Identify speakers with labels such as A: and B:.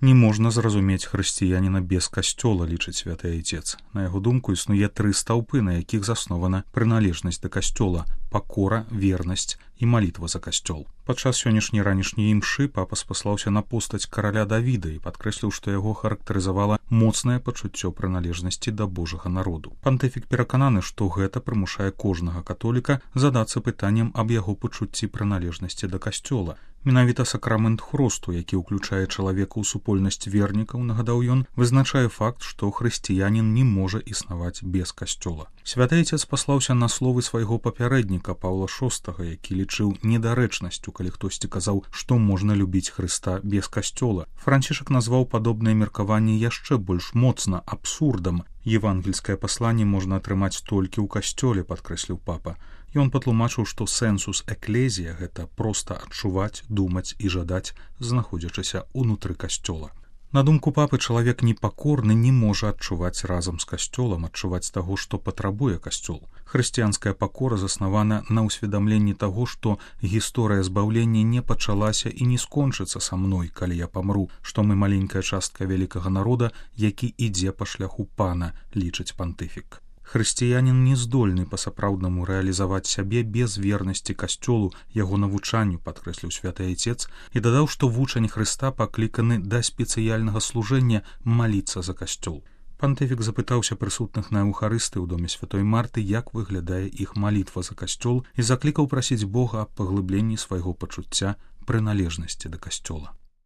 A: Не можна зразумець хрысціяніна без касцёла, лічыць святы айцец. На яго думку, існуе 3 стаўпы, на якіх заснована прыналежнасць да касцёла: пакора, вернасць і малітва за касцёл. Падчас сённяшняй ранішняй імшы папа спаслаўся на постаць караля Давіда і падкрэсліў, што яго характарызавала моцнае пачуццё прыналежнасці да Божага народу. Пантыфік перакананы, што гэта прымушае кожнага католіка задацца пытаннем аб яго пачуцці прыналежнасці да касцёла. Менавіта сакрамент хросту, які ўключае чалавека ў супольнасць вернікаў, нагадаў ён, вызначае факт, што хрысціянін не можа існаваць без касцёла. Святы айцец паслаўся на словы свайго папярэдніка Паўла VI, які лічыў недарэчнасцю, калі хтосьці казаў, што можна любіць Хрыста без касцёла. Францішак назваў падобнае меркаванне яшчэ больш моцна абсурдам. Евангельскае пасланне можна атрымаць толькі ў касцёле, падкрэсліў папа. Ён патлумачыў, што сэнсус эклезія — гэта проста адчуваць, думаць і жадаць, знаходзячыся ўнутры касцёла. На думку папы, чалавек непакорны не можа адчуваць разам з касцёлам, адчуваць таго, што патрабуе касцёл. Хрысціянская пакора заснавана на ўсведамленні таго, што гісторыя збаўлення не пачалася і не скончыцца са мной, калі я памру, што мы маленькая частка вялікага народа, які ідзе па шляху пана, лічыць пантыфік. Хрысціянін не здольны па-сапраўднаму рэалізаваць сябе без вернасці касцёлу, яго навучанню, падкрэсліў святы айцец, і дадаў, што вучань Хрыста пакліканы да спецыяльнага служэння маліцца за касцёл. Пантыфік запытаўся прысутных на эўхарысты ў доме святой Марты, як выглядае іх малітва за касцёл, і заклікаў прасіць Бога аб паглыбленні свайго пачуцця прыналежнасці да касцёла.